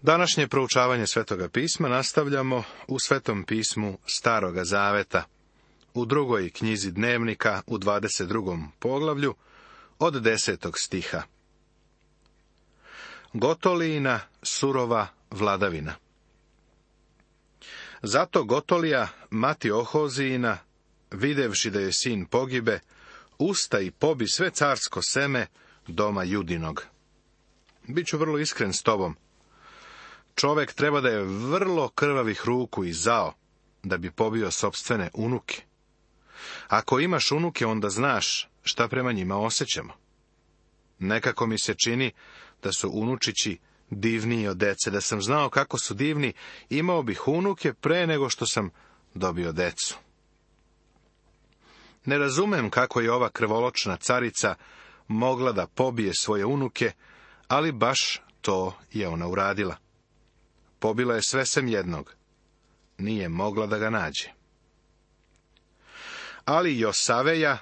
Današnje proučavanje Svetoga pisma nastavljamo u Svetom pismu Staroga zaveta, u 2. knjizi Dnevnika, u 22. poglavlju, od 10. stiha. Gotolijina surova vladavina. Zato Gotolija, mati Ohozijina, videvši da je sin pogibe, usta i pobi sve carsko seme doma Judinog. Biću vrlo iskren s tobom. Čovek treba da je vrlo krvavih ruku i zao, da bi pobio sopstvene unuke. Ako imaš unuke, onda znaš šta prema njima osjećamo. Nekako mi se čini da su unučići divniji od dece. Da sam znao kako su divni, imao bih unuke pre nego što sam dobio decu. Ne razumem kako je ova krvoločna carica mogla da pobije svoje unuke, ali baš to je ona uradila. Pobila je sve sem jednog. Nije mogla da ga nađe. Ali Josaveja,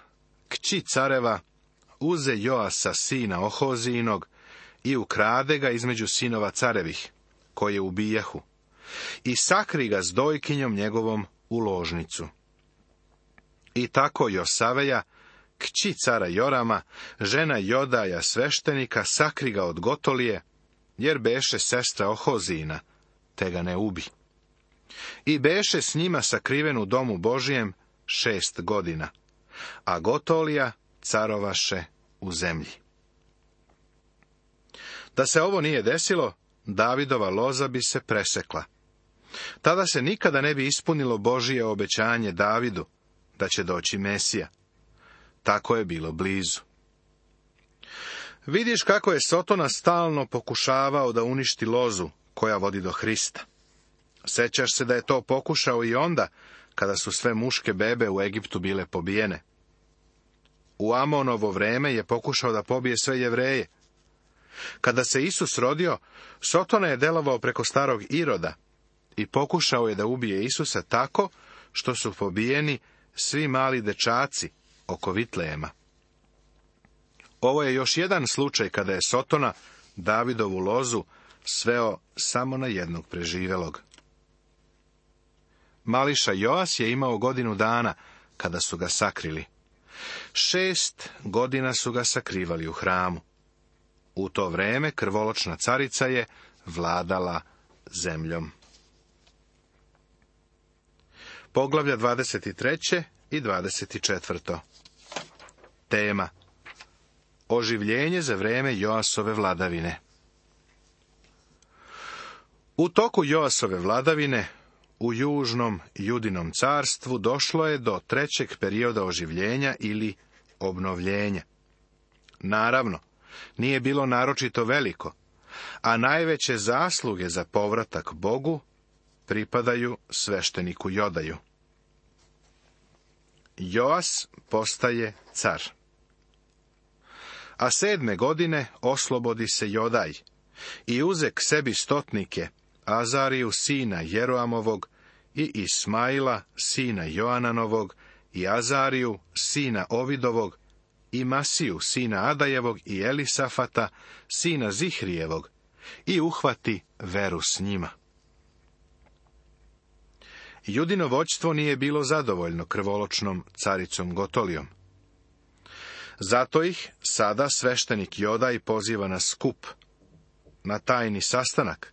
kći careva, uze Joasa sina Ohozijinog i ukrade ga između sinova carevih, koje ubijahu, i sakri ga s dojkinjom njegovom u ložnicu. I tako Josaveja, kći cara Jorama, žena Jodaja sveštenika, sakri ga od Gotolije, jer beše sestra Ohozijina, te ga ne ubi. I beše s njima sakriven u domu Božijem 6 godina, a Gotolija carovaše u zemlji. Da se ovo nije desilo, Davidova loza bi se presekla. Tada se nikada ne bi ispunilo Božije obećanje Davidu, da će doći Mesija. Tako je bilo blizu. Vidiš kako je Sotona stalno pokušavao da uništi lozu koja vodi do Hrista. Sećaš se da je to pokušao i onda, kada su sve muške bebe u Egiptu bile pobijene. U Amonovo vreme je pokušao da pobije sve Jevreje. Kada se Isus rodio, Sotona je delovao preko starog Iroda i pokušao je da ubije Isusa tako što su pobijeni svi mali dečaci oko Vitlejema. Ovo je još jedan slučaj kada je Sotona Davidovu lozu sveo samo na jednog preživelog. Mališa Joas je imao 1 godinu dana kada su ga sakrili. 6 godina su ga sakrivali u hramu. U to vreme krvoločna carica je vladala zemljom. Poglavlja 23. i 24. Tema: oživljenje za vreme Joasove vladavine. U toku Joasove vladavine u južnom Judinom carstvu došlo je do 3. perioda oživljenja ili obnovljenja. Naravno, nije bilo naročito veliko, a najveće zasluge za povratak Bogu pripadaju svešteniku Jodaju. Joas postaje car. A 7. godine oslobodi se Jodaj i uze k sebi stotnike, Azariju sina Jeroamovog i Ismaila sina Joananovog i Azariju sina Ovidovog i Masiju sina Adajevog i Elisafata sina Zihrijevog i uhvati veru s njima. Judino vođstvo nije bilo zadovoljno krvoločnom caricom Gotolijom. Zato ih sada sveštenik Jodaj poziva na skup, na tajni sastanak,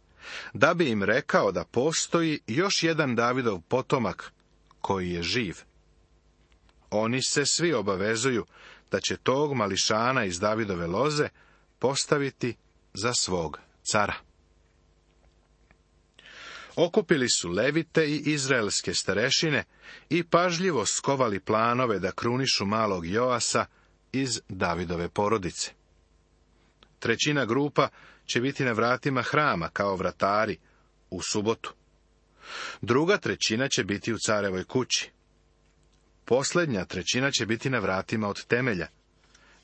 da bi im rekao da postoji još jedan Davidov potomak koji je živ. Oni se svi obavezuju da će tog mališana iz Davidove loze postaviti za svog cara. Okupili su Levite i izraelske starešine i pažljivo skovali planove da krunišu malog Joasa iz Davidove porodice. 1/3 grupa će biti na vratima hrama kao vratari u subotu. 2/3 će biti u carevoj kući. Posljednja 1/3 će biti na vratima od temelja.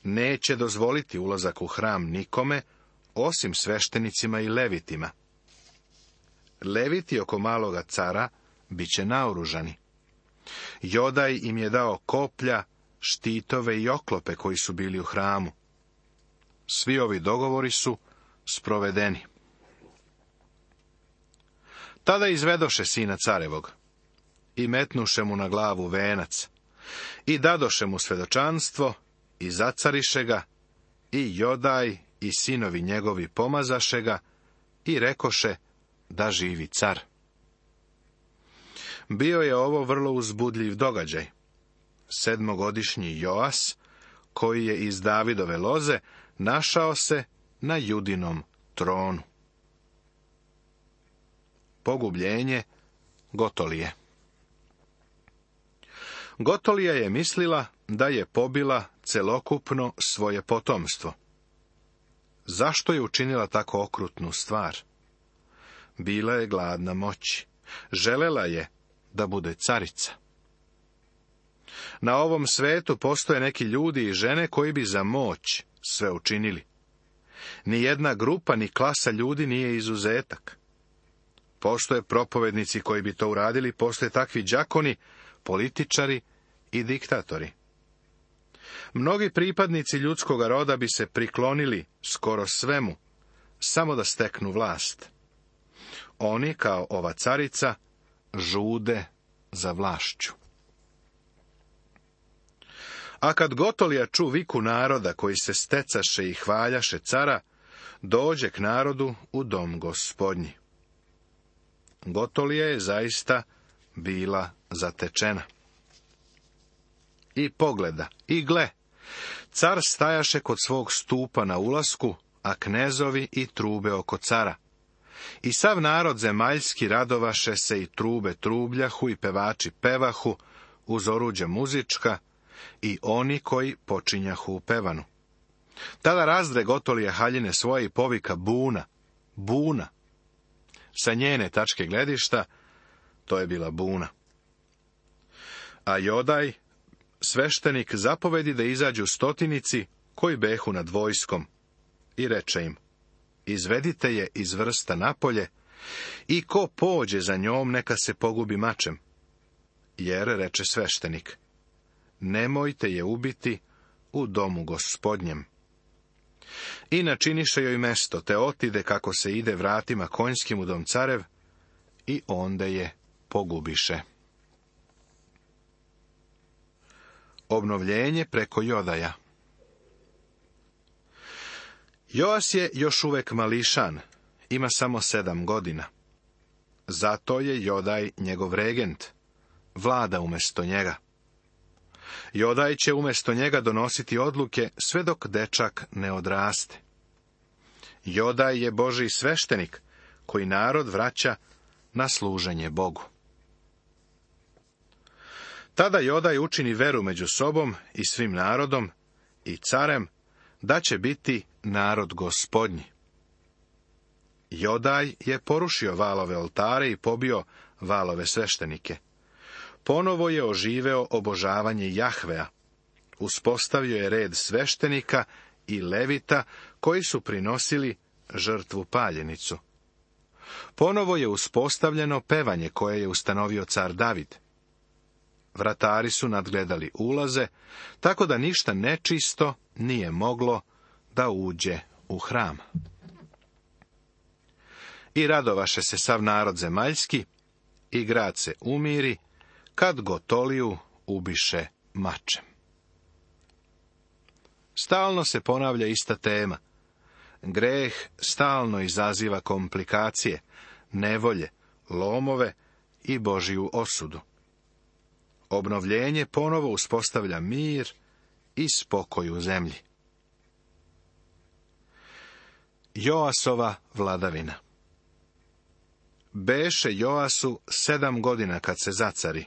Neće dozvoliti ulazak u hram nikome, osim sveštenicima i levitima. Leviti oko maloga cara bit će naoružani. Jodaj im je dao koplja, štitove i oklope koji su bili u hramu. Svi ovi dogovori su sprovedeni. Tada izvedoše sina carevog i metnuše mu na glavu venac i dadoše mu svedočanstvo i zacariše ga i Jodaj i sinovi njegovi pomazaše ga i rekoše da živi car. Bio je ovo vrlo uzbudljiv događaj. 7-godišnji Joas, koji je iz Davidove loze, našao se na Judinom tronu. Pogubljenje Gotolije. Gotolija je mislila da je pobila celokupno svoje potomstvo. Zašto je učinila tako okrutnu stvar? Bila je gladna moći. Želela je da bude carica. Na ovom svetu postoje neki ljudi i žene koji bi za moć sve učinili. Nijedna grupa ni klasa ljudi nije izuzetak. Postoje propovednici koji bi to uradili, postoje takvi đakoni, političari i diktatori. Mnogi pripadnici ljudskog roda bi se priklonili skoro svemu, samo da steknu vlast. Oni, kao ova carica, žude za vlašću. A kad Gotolija ču viku naroda koji se stecaše i hvaljaše cara, dođe k narodu u dom Gospodnji. Gotolija je zaista bila zatečena. I pogleda, i gle, car stajaše kod svog stupa na ulasku, a knezovi i trube oko cara. I sav narod zemaljski radovaše se i trube trubljahu i pevači pevahu uz oruđa muzička i oni koji počinjahu u pevanu. Tada razdre Gotolija haljine svoje i povika buna, buna. Sa njene tačke gledišta to je bila buna. A Jodaj, sveštenik, zapovedi da izađu stotinici koji behu nad vojskom i reče im: izvedite je iz vrsta napolje i ko pođe za njom neka se pogubi mačem. Jer, reče sveštenik, nemojte je ubiti u domu Gospodnjem. I načiniše joj mesto, te otide kako se ide vratima konjskim u dom carev i onda je pogubiše. Obnovljenje preko Jodaja. Joas je još uvek mališan, ima samo 7 godina. Zato je Jodaj njegov regent, vlada umjesto njega. Jodaj će umjesto njega donositi odluke sve dok dečak ne odraste. Jodaj je Božji sveštenik koji narod vraća na služenje Bogu. Tada Jodaj učini veru među sobom i svim narodom i carem da će biti narod Gospodnji. Jodaj je porušio valove oltare i pobio valove sveštenike. Ponovo je oživeo obožavanje Jahvea. Uspostavio je red sveštenika i levita koji su prinosili žrtvu paljenicu. Ponovo je uspostavljeno pevanje koje je ustanovio car David. Vratari su nadgledali ulaze, tako da ništa nečisto nije moglo da uđe u hram. I radovaše se sav narod zemaljski, i grad se umiri, kad Gotoliju ubiše mačem. Stalno se ponavlja ista tema. Greh stalno izaziva komplikacije, nevolje, lomove i Božju osudu. Obnovljenje ponovo uspostavlja mir i spokoj u zemlji. Joasova vladavina. Beše Joasu 7 godina kad se zacari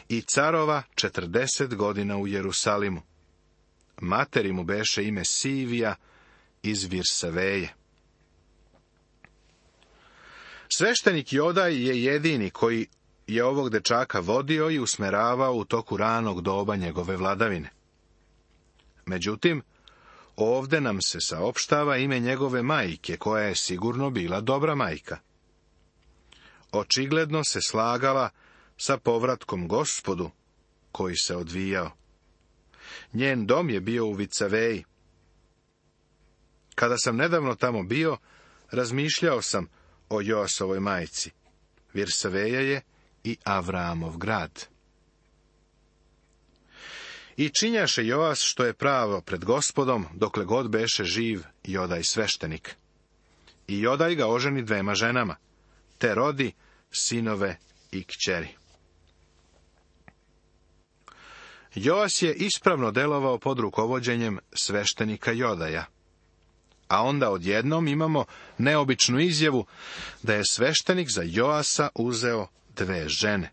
i carova 40 godina u Jerusalimu. Materi mu beše ime Sivija iz Virsaveje. Sveštenik Jodaj je jedini koji je ovog dečaka vodio i usmeravao u toku ranog doba njegove vladavine. Međutim, ovde nam se saopštava ime njegove majke, koja je sigurno bila dobra majka. Očigledno se slagala sa povratkom Gospodu koji se odvijao. Njen dom je bio u Vicaveji. Kada sam nedavno tamo bio, razmišljao sam o Joasovoj majci. Virsaveja je i Avramov grad. I činjaše Joas što je pravo pred Gospodom, dokle god beše živ Jodaj sveštenik. I Jodaj ga oženi 2 ženama, te rodi sinove i kćeri. Joas je ispravno delovao pod rukovođenjem sveštenika Jodaja. A onda odjednom imamo neobičnu izjavu da je sveštenik za Joasa uzeo 2 žene.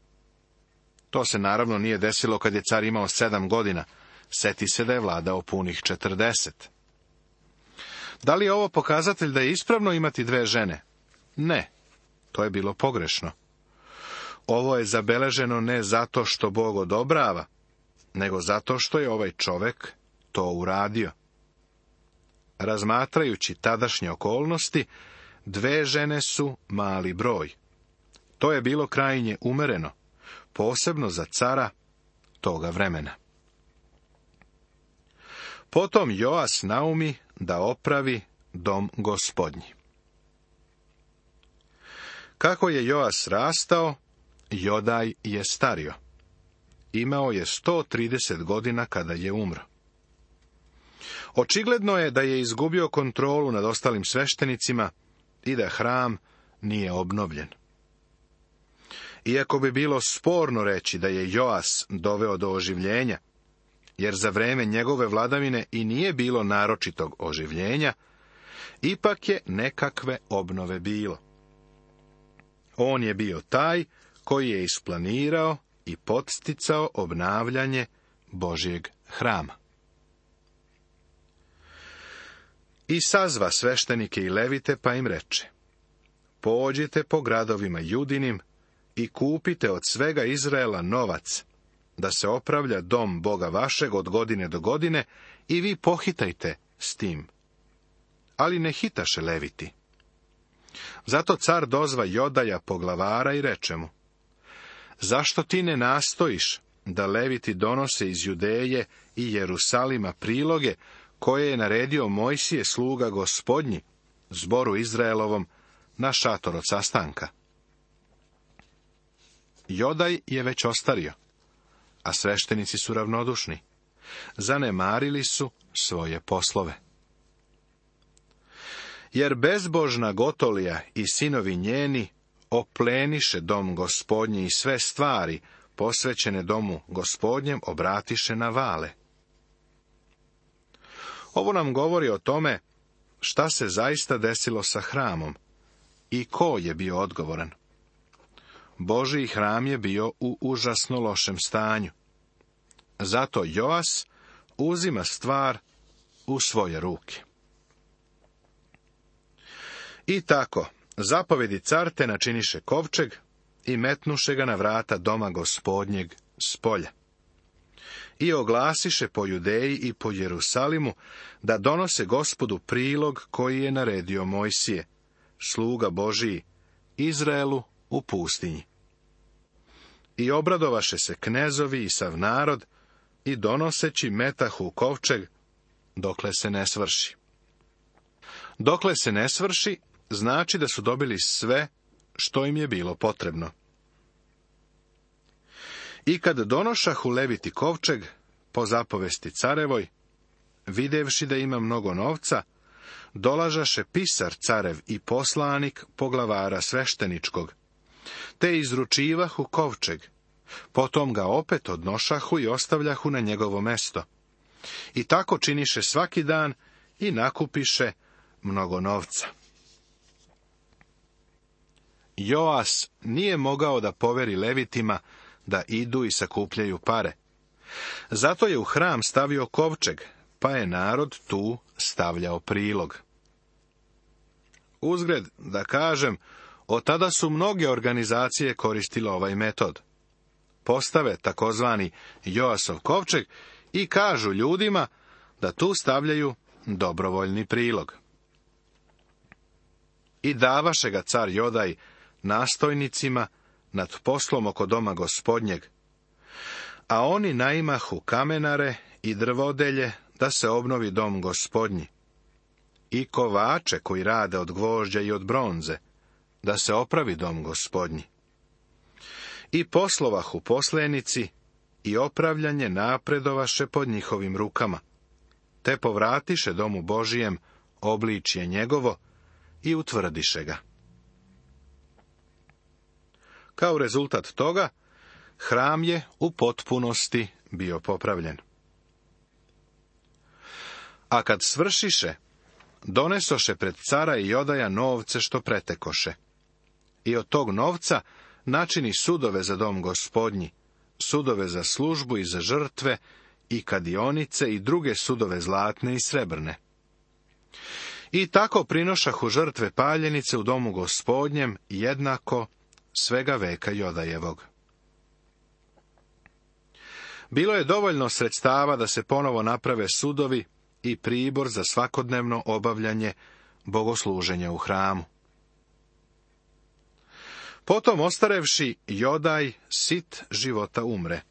To se naravno nije desilo kad je car imao 7 godina. Seti se da je vladao punih 40. Da li je ovo pokazatelj da je ispravno imati 2 žene? Ne, to je bilo pogrešno. Ovo je zabeleženo ne zato što Bog odobrava, nego zato što je ovaj čovek to uradio. Razmatrajući tadašnje okolnosti, 2 žene su mali broj. To je bilo krajnje umereno, posebno za cara toga vremena. Potom Joas naumi da opravi dom Gospodnji. Kako je Joas rastao, Jodaj je stario. Imao je 130 godina kada je umro. Očigledno je da je izgubio kontrolu nad ostalim sveštenicima i da hram nije obnovljen. Iako bi bilo sporno reći da je Joas doveo do oživljenja, jer za vreme njegove vladavine i nije bilo naročitog oživljenja, ipak je nekakve obnove bilo. On je bio taj koji je isplanirao i podsticao obnavljanje Božjeg hrama. I sazva sveštenike i levite, pa im reče: pođite po gradovima Judinim i kupite od svega Izraela novac, da se opravlja dom Boga vašeg od godine do godine, i vi pohitajte s tim. Ali ne hitaše leviti. Zato car dozva Jodaja poglavara i reče mu: zašto ti ne nastojiš da leviti donose iz Judeje i Jerusalima priloge koje je naredio Mojsije sluga Gospodnji zboru Izraelovom na šator od sastanka? Jodaj je već ostario, a sveštenici su ravnodušni. Zanemarili su svoje poslove. Jer bezbožna Gotolija i sinovi njeni opleniše dom Gospodnji i sve stvari posvećene domu Gospodnjem obratiše na vale. Ovo nam govori o tome šta se zaista desilo sa hramom i ko je bio odgovoran. Božji hram je bio u užasno lošem stanju. Zato Joas uzima stvar u svoje ruke. I tako, zapovedi car te načiniše kovčeg i metnuše ga na vrata doma Gospodnjeg s polja. I oglasiše po Judeji i po Jerusalimu da donose Gospodu prilog koji je naredio Mojsije, sluga Božiji, Izraelu u pustinji. I obradovaše se knezovi i sav narod i donoseći metahu kovčeg dokle se ne svrši. Dokle se ne svrši, znači da su dobili sve što im je bilo potrebno. I kad donošahu leviti kovčeg, po zapovesti carevoj, videvši da ima mnogo novca, dolažaše pisar carev i poslanik poglavara svešteničkog, te izručivahu kovčeg, potom ga opet odnošahu i ostavljahu na njegovo mesto. I tako činiše svaki dan i nakupiše mnogo novca. Joas nije mogao da poveri levitima da idu i sakupljaju pare. Zato je u hram stavio kovčeg, pa je narod tu stavljao prilog. Uzgred, da kažem, od tada su mnoge organizacije koristile ovaj metod. Postave takozvani Joasov kovčeg i kažu ljudima da tu stavljaju dobrovoljni prilog. I davaše ga car Jodaj nastojnicima nad poslom oko doma Gospodnjeg, a oni naimahu kamenare i drvodelje da se obnovi dom Gospodnji, i kovače koji rade od gvožđa i od bronze, da se opravi dom Gospodnji. I poslovahu poslenici, i opravljanje napredovaše pod njihovim rukama, te povratiše domu Božijem obličje njegovo i utvrdiše ga. Kao rezultat toga, hram je u potpunosti bio popravljen. A kad svršiše, donesoše pred cara i Jodaja novce što pretekoše. I od tog novca načini sudove za dom Gospodnji, sudove za službu i za žrtve, i kadionice i druge sudove zlatne i srebrne. I tako prinošahu žrtve paljenice u domu Gospodnjem jednako svega veka Jodajevog. Bilo je dovoljno sredstava da se ponovo naprave sudovi i pribor za svakodnevno obavljanje bogosluženja u hramu. Potom ostarevši, Jodaj sit života umre.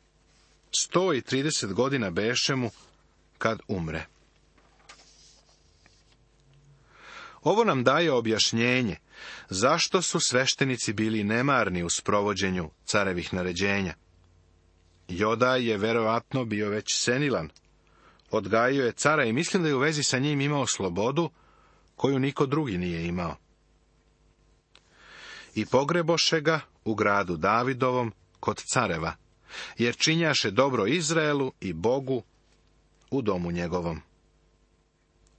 130 godina beše mu kad umre. Ovo nam daje objašnjenje zašto su sveštenici bili nemarni u sprovođenju carevih naređenja. Jodaj je verovatno bio već senilan. Odgajio je cara i mislim da je u vezi sa njim imao slobodu koju niko drugi nije imao. I pogreboše ga u gradu Davidovom kod careva, jer činjaše dobro Izraelu i Bogu u domu njegovom.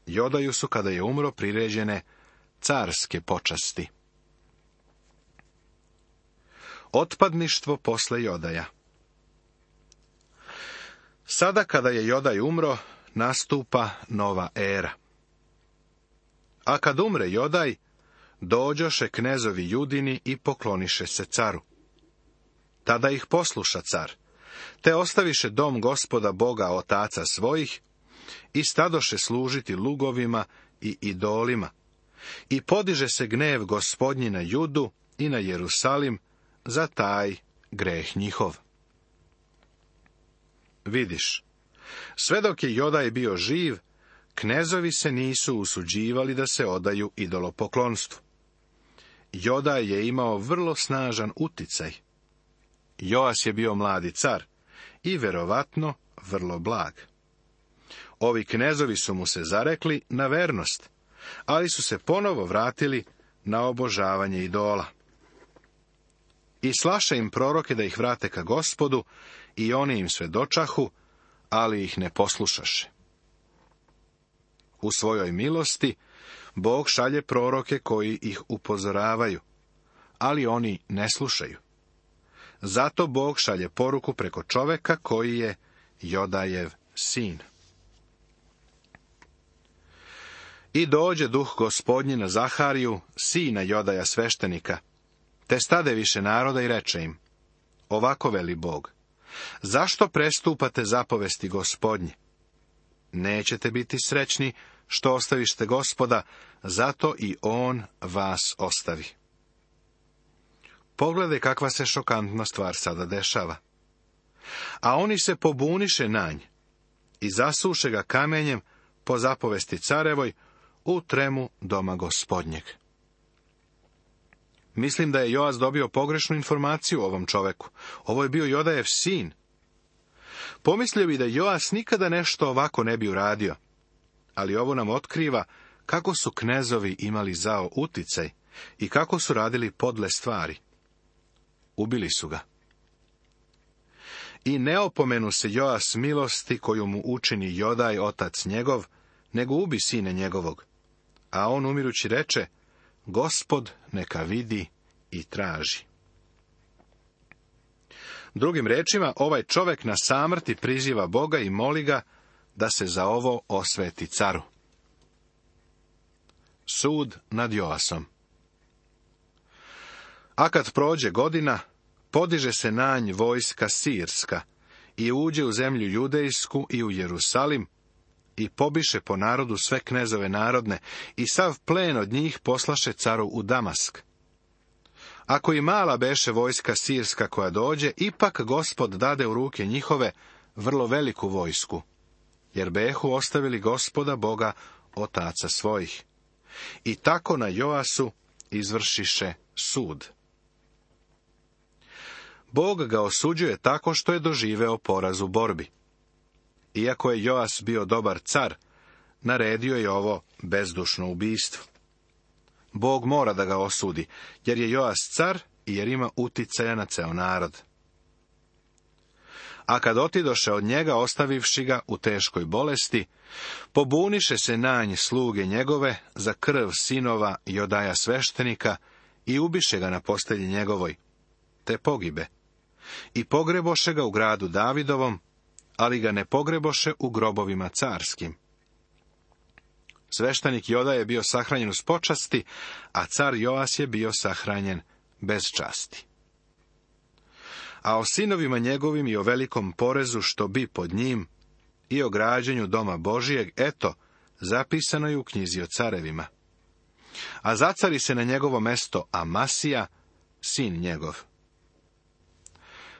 Jodaju su, kada je umro, priređene carske počasti. Otpadništvo posle Jodaja. Sada, kada je Jodaj umro, nastupa nova era. A kad umre Jodaj, dođoše knezovi Judini i pokloniše se caru. Tada ih posluša car, te ostaviše dom Gospoda Boga otaca svojih i stadoše služiti lugovima i idolima. I podiže se gnev Gospodnji na Judu i na Jerusalim za taj greh njihov. Vidiš, sve dok je Jodaj bio živ, knezovi se nisu usuđivali da se odaju idolopoklonstvu. Jodaj je imao vrlo snažan uticaj. Joas je bio mladi car i verovatno vrlo blag. Ovi knezovi su mu se zarekli na vernost, ali su se ponovo vratili na obožavanje idola. I slaše im proroke da ih vrate ka Gospodu, i oni im svedočahu, ali ih ne poslušaše. U svojoj milosti Bog šalje proroke koji ih upozoravaju, ali oni ne slušaju. Zato Bog šalje poruku preko čoveka koji je Jodajev sin. I dođe duh Gospodnji na Zahariju, sina Jodaja sveštenika, te stade više naroda i reče im: ovako veli Bog, zašto prestupate zapovesti Gospodnje? Nećete biti srećni što ostavište Gospoda, zato i on vas ostavi. Pogledaj kakva se šokantna stvar sada dešava. A oni se pobuniše na nj i zasuše ga kamenjem po zapovesti carevoj u tremu doma Gospodnjeg. Mislim da je Joas dobio pogrešnu informaciju o ovom čoveku. Ovo je bio Jodajev sin. Pomislio bi da Joas nikada nešto ovako ne bi uradio, ali ovo nam otkriva kako su knezovi imali zao uticaj i kako su radili podle stvari. Ubili su ga. I ne opomenu se Joas milosti koju mu učini Jodaj, otac njegov, nego ubi sine njegovog. A on umirući reče: Gospod neka vidi i traži. Drugim rečima, ovaj čovek na samrti priziva Boga i moli ga da se za ovo osveti caru. Sud nad Joasom. A kad prođe godina, podiže se na nj vojska sirska i uđe u zemlju judejsku i u Jerusalim i pobiše po narodu sve knezove narodne i sav plen od njih poslaše caru u Damask. Ako i mala beše vojska sirska koja dođe, ipak Gospod dade u ruke njihove vrlo veliku vojsku, jer behu ostavili Gospoda Boga otaca svojih. I tako na Joasu izvršiše sud. Bog ga osuđuje tako što je doživeo poraz u borbi. Iako je Joas bio dobar car, naredio je ovo bezdušno ubistvo. Bog mora da ga osudi, jer je Joas car i jer ima uticaja na ceo narod. A kad otidoše od njega, ostavivši ga u teškoj bolesti, pobuniše se na nj sluge njegove za krv sinova Jodaja sveštenika i ubiše ga na postelji njegovoj, te pogibe. I pogreboše ga u gradu Davidovom, ali ga ne pogreboše u grobovima carskim. Sveštenik Joda je bio sahranjen uz počasti, a car Joas je bio sahranjen bez časti. A o sinovima njegovim i o velikom porezu što bi pod njim i o građenju doma Božijeg, eto, zapisano je u knjizi o carevima. A zacari se na njegovo mesto Amasija, sin njegov.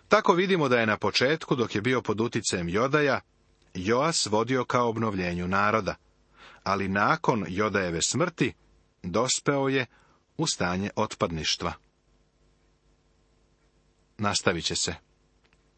Tako vidimo da je na početku, dok je bio pod uticajem Jodaja, Joas vodio kao obnovljenju naroda, ali nakon Jodajeve smrti dospeo je u stanje otpadništva. Nastavit će se.